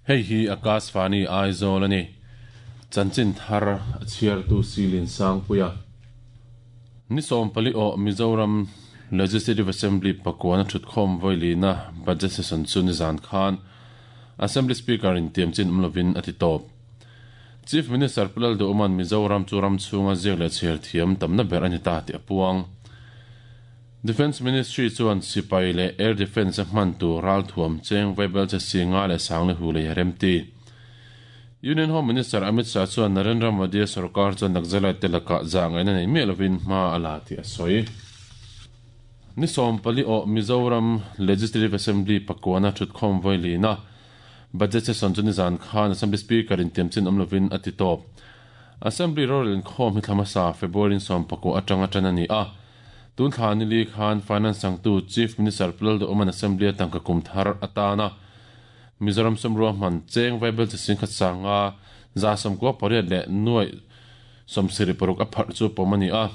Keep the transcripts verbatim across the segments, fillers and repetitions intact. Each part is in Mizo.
Hei hi Akashvani Aizawl ani. Chanchin thar a chhiartu Silin Sangpuia. Ni sawm pali aw Mizoram Legislative Assembly pakuana thutkhawm vawi-lina budget session chu ni zan khan Assembly Speaker in tiamchin awm lovin a ti tawp. Chief Minister Pu Lalduhuman Mizoram chu ram chhunga ziak leh chhiar thiam tamna ber a ni ta tih a puang. Defence Ministry chuan sipai leh Air Defence a hman tur ralthuam cheng vaibel che si nga leh sang le hu lei a remti. Union Home Minister Amit Shah chuan Narendra Modi a sorkar chuan Naxalite te lakah zah ngaihna nei miah lovin hma a la tih a sawi. Ni sawm pali aw Mizoram Legislative Assembly pakuana thutkhawm vawi-lina budget session chu nizan khan Assembly Speaker in tiamchin awm lovin a ti tawp. Assembly rorel inkhawm hi thla hmasa February in sawm pakua atanga tan a ni a. Tun thla ni li khan Finance sangtu Chief Minister Pu Lalduhuman Assembly a tangka kum thar atana Mizoram sawmrua hman cheng vaibel chi singkhat sanga za sawmkua pariat leh nuai sawmsarih paruk a pharh chu pawm a ni a.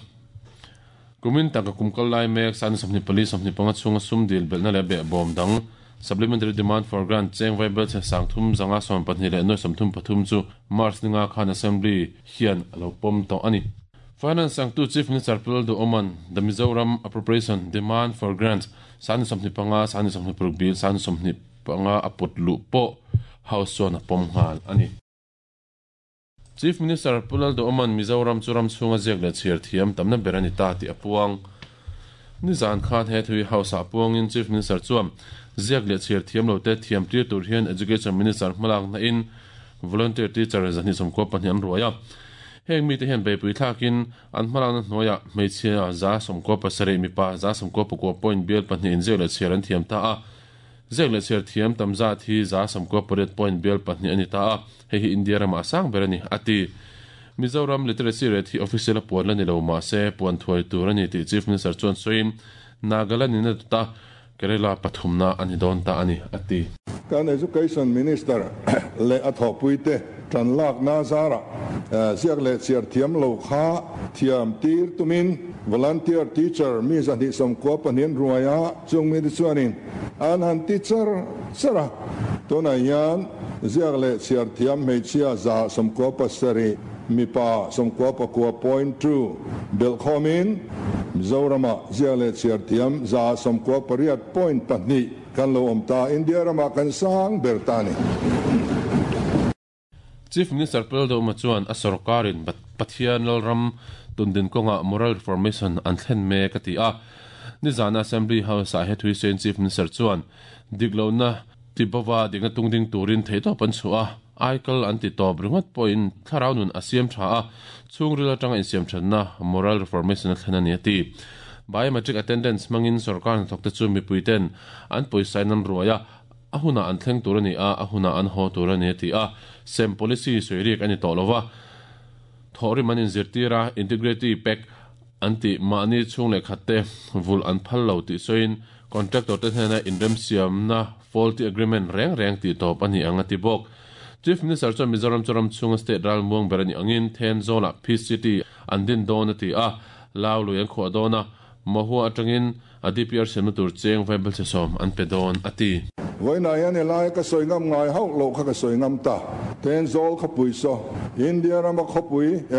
Kumin tangka kum kal lai mek san sawmhnih pali sawmhnih panga chhunga sum dil belhna leh behbawm dang Supplementary Demand for Grant cheng vaibel che sang thum zanga sawm pahnih leh nuai sawmthum pathum chu March ninga khan Assembly hian a lo pawm tawh a ni. Finance sangtu Chief Minister Pu Lalduhuman The Mizoram Appropriation Demand for Grants san sawmhnih panga san sawmhnih paruk bill san sawmhnih panga a put luh pawh House chuan a pawm nghal a ni. Chief Minister Pu Lalduhuman Mizoram chu ram chhunga ziak leh chhiar thiam tamna ber a ni ta tih a puang. Nizan khan he thui House ah puangin Chief Minister chuan ziak leh chhiar thiam lo te thiam tir tur hian Education Minister hmalak na in volunteer teacher zahnih sawmkua pahnih an ruai a. Heng mite hian beipui thlakin an hmalak na hnuaiah hmeichhia za sawmkua pasarih mipa za sawmkua pakua point bial pahnih in ziak leh chhiar an thiam ta a. Ziak leh chhiar thiam tam zat hi za sawmkua pariat point bial pahnih a ni ta a, hei hi India ramah sang ber a ni, a ti. Mizoram literacy rate hi official a puan la ni lo mahse puan thuai tur a ni tih Chief Minister chuan sawiin Nagaland in a dawt a, Kerala pathumna a ni dawn ta a ni, a ti. Kan Education Minister leh a thawhpuite tan lakna zarah ziak leh chhiar thiam lo kha thiam tir tumin volunteer teacher mi zahnih sawmkua pahnih an ruai a, chung mite chuanin an han ti char char a. Tunah hian ziak leh chhiar thiam hmeichhia za sawmkua pasarih mipa sawmkua pakua point two belh khawmin Mizoramah ziak leh chhiar thiam za sawmkua pariat point pahnih kan lo awm ta, India ramah kan sang ber ta a ni. Chief Minister Pu Lalduhuma chuan a sorkarin Pathian Lalram tundin kawngah moral reformation an thlen mek a ti a. Nizana Assembly House-ah he thuisawiin Chief Minister chuan diklohna tibova dikna tungding turin theihtawp an chhuah a, aikal an ti tawp ringawt pawhin thlarau nun a siam tha a, chhungril atanga insiam thatna moral reformation a thlen a ni a ti. Biometric attendance hmangin sorkar hnathawkte chu mipuiten an pawisain an ruai a, a hunah an thleng tur a ni a, a hunah an haw tur a ni a ti a. Sem policy sawi riak a ni tawh lo va, thawhrim an inzirtir a, integrity pact an tih mahni chhung leh khatte vulh an phal lo tih sawiin contractor te hnena inremsiamna faulty agreement reng reng tih tawp a ni ang a ti bawk. Chief Minister chuan Mizoram chu ram chhunga state ralmuang ber a nih angin Thenzawlah Peace City an din dawn a ti a, Lau lui an khuah dawn a, Mahua atangin a D P R siamna tur cheng vaibel che sawm an pe dawn a ti. Vawiinah hian helai ka sawi ngam ngai hauh loh kha ka sawi ngam ta. Thenzawl khawpui saw India rama khawpui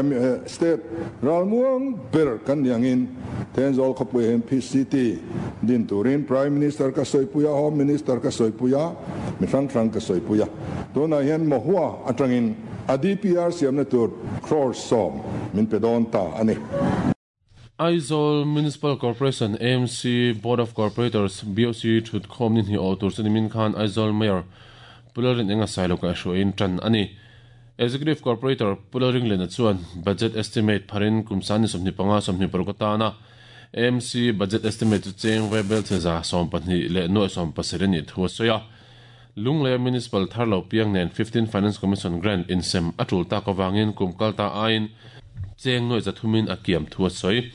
state ralmuang ber kan ni angin Thenzawl khawpui hian Peace City din turin Prime Minister ka sawipui a, Home Minister ka sawipui a, mi hrang hrang ka sawipui a. Tunah hian Mahua atangin a D P R siamna tur crore sawm min pe dawn ta a ni. Aizawl Municipal Corporation, A M C, Board of Corporators, B O C, thutkhawm ni hnih awh tur chu nimin khan Aizawl Mayor Pu Lalrin Enga Sailo kaihhruaiin tan a ni. Executive Corporator Pu Lalringlena chuan budget estimate pharin kum san ni sawmhnih panga sawmhnih paruk atana A M C budget estimate chu cheng vaibel che za sawm pahnih leh nuaih sawm pasarih a nih thu a sawi a. Lunglei Municipal thar lo piang nen fifteen Finance Commission grant insem a tul tak avangin kum kal ta aiin cheng nuaih zathumin a kiam thu a sawi.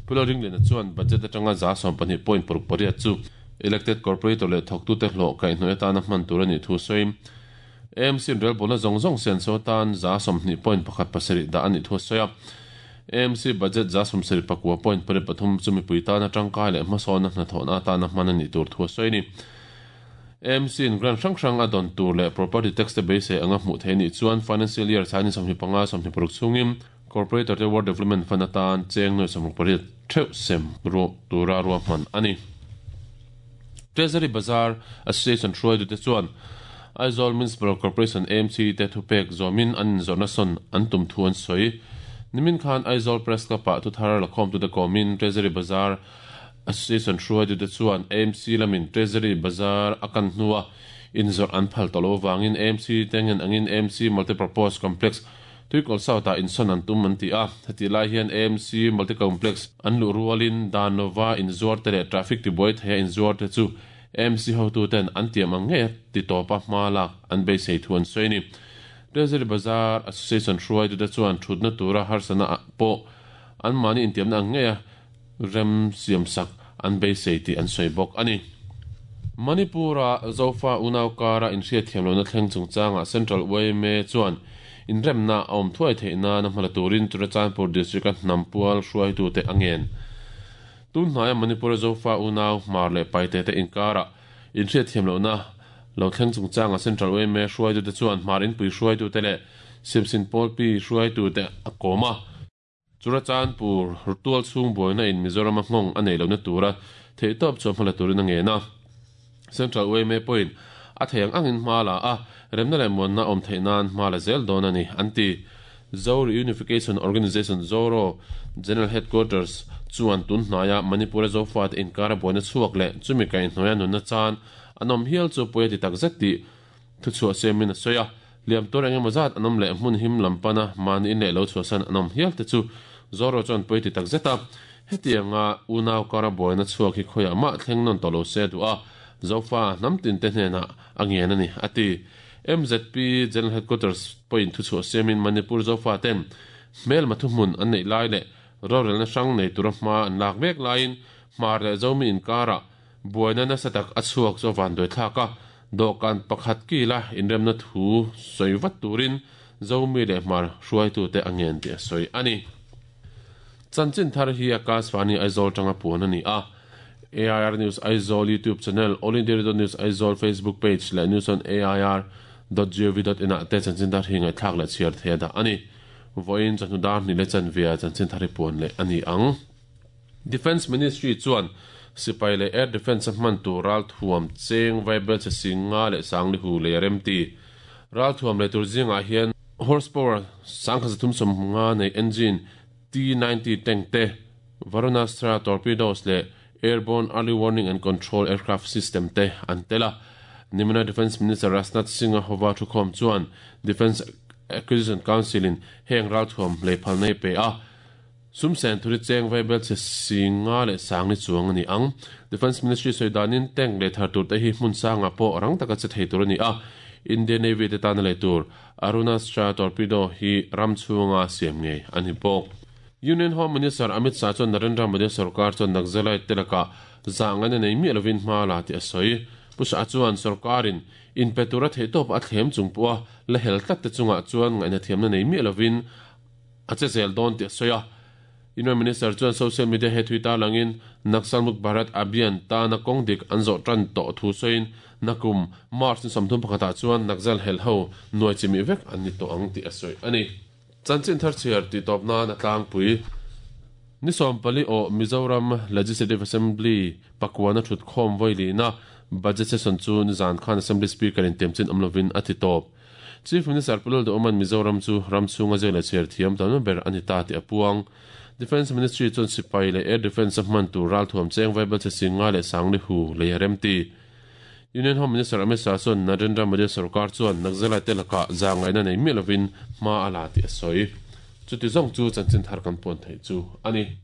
Pu Lalringlena chuan budget atanga za sawm pahnih point paruk pariat chu elected corporator leh thawktute hlawh kaihhnawih atana hman tur a nih thu sawi. A M C relbawlna zawng zawng senso atan za sawmhnih point pakhat pasarih dah a nih thu a sawi a. A M C budget za sawmsarih pakua point pariat pathum chu mipui tana tangkai leh hmasawna hnathawhna atana hman a nih tur thu a sawi a ni. A M C in grant hrang hrang a don tur le property tax te beisei anga hmuh theih ni chuan financial year sani sawmhnih panga sawmhnih paruk chungin corporator te ward development fund atan cheng noi sawmruk pariat theuh sem ru tura ruahman ani. Treasury Bazaar Association hruai du te chuan Aizawl Municipal Corporation A M C te thupek zomin an zawrhna sawn an tum thu an sawi. Nimin khan Aizawl Press Club ah thuthar lakhawm tu te kawmin Treasury Bazaar Association hruai du te chuan A M C lamin Treasury Bazaar a kan hnua inzawrh an phal tawh lo wangin A M C tengen angin A M C Multipurpose Complex tuikawl south ah insawn an tum an ti a. Heti lai hian A M C Multicomplex an luh rualin Danova inzuar te leh traffic tibuai theia inzuar te chu A M C hotu ten an tiam ang nge ti tawpa hma lak an beisei thu an sawi ni. Treasury Bazaar Association hruai du te chuan thutna tura harsana pawh an mahni intiamna ang nge a rem siam sak an beisei tih an sawi bawk ani. Manipura Zofa Unau kara inhriat thiamlohna thleng chungchanga Central U M A chuan inremna a awm thuai theihna na hmala turin Churachandpur district a hnampual hruaitu te angen. Tun hnaia Manipura Zofa Unau hmar leh paite te inkara inhriat thiamlohna lo thleng chungchanga Central U M A hruaitu te chuan hmar inpui hruaitu te leh Simsin Pawlpi hruaitu te a kawm a. Churachandpur tual chhung buaina in Mizoram a nghawng a nei lohna tura theihtawp chu hmala turin a ngen a. Central U M A pawhin a theiang angin hma la a remna leh muanna awm theih nan hma la zel dawn ani an ti. Zo Reunification Organization Zoro General Headquarters chuan tun hnaia Manipura Zofa te inkara buaina chhuak leh chumi kaihhnawia nunna chan an awm hial chu pawi a ti takzet tih thuchhuah siamin a sawi a. Liam tur engemaw zat an awm leh hmun him lampana mahni in leh lo chhuahsan an awm hial te chu Zoro chuan pawi ti takzet a. Hetianga unau kara buaina chhuak hi khawiah mah thleng nawn tawh lo se duh a. Zofa hnam tin te hnenah a ngen ani ati. M Z P General Headquarters pawhin thuchhuah siamin Manipur Zofa ten hmel mathu hmun an neih lai leh rorelna hrang nei tura hma an lak mek laiin hmar leh zomi inkara buaina nasa tak a chhuak chu van doi thlak a. Dawhkan pakhat kila inremna thu sawi vat turin zomi leh hmar hruaitu te a ngen tih a sawi ani. Chanchin thar hi Akashvani Aizawl tanga puan ani a. A I R News Aizawl YouTube channel, All India Radio News Aizawl Facebook page leh news on A I R dot gov dot in ah te chanchin thar hi ngaihthlak leh chhiar theih a dah ani. Vawiin chawhnu dar hnih leh chanvia chanchin thar hi puan leh ani ang. Defence Ministry chuan sipai leh Air Defence a hman tur ral thuam cheng vaibel che singa leh sangli hu leh remti. Ral thuam leh tur zingah hian horsepower sangkhat zathum sawmnga nei engine T ninety tank te, Varunastra torpedoes leh Airborne Early Warning and Control Aircraft System te an tela. Nimina Defence Minister Rajnath Singh a hova thukhawm chuan Defence Acquisition Council in heng ral thuam lei phal nei pe a. Sumsen thuri cheng vaibel che singa leh sangni chuang ani ang. Defence Ministry sawidanin tank leh thar tur te hi hmun sanga pawh rang taka che thei tur ani a. Indian Navy te tan leh tur Arunastra torpedo hi ram chhunga siam ngei ani bawk. Union Home Minister Amit Shah chuan Narendra Modi sarkar chuan Naxalite te laka zangana nei mi lovin hma la ti a sawi. Pu Shah chuan sarkarin in petura theihtawp a thlem chung pawha la hel tlat te chungah chuan ngaihna thiamna nei mi lovin a che zel dawn ti a sawi a. Union Minister chuan social media he Twitter langin Naxal Muk Bharat Abhiyan ta na kawng dik an zawh tan tawh thu sawiin nakum March ni sawmthum pakhatah chuan Naxal hel ho nuai chimi vek an ni tawh ang tih a sawi ani. Chanchin thar chhiar ti tawp nan a tlangpui. Ni sawm pali aw Mizoram Legislative Assembly pakwana thut khawm vawi na budget session chu nizan khan Assembly Speaker in tiamchin awm lovin a ti tawp. Chief Minister Pulal Duoman Mizoram chu ram chhunga zel chhiar thiam tam ber ani ta ti a puang. Defence Ministry chuan sipai leh Air Defence a hman tur ral thuam cheng vaibel che singa leh sangli hu lei remti. Union Home Minister Amit Shah chuan Narendra Modi sarkar chuan Naxalite te laka zangaina nei mi lovin hma a la ti a sawi. Chuti zawng chu chanchin thar kan puan thei chu ani.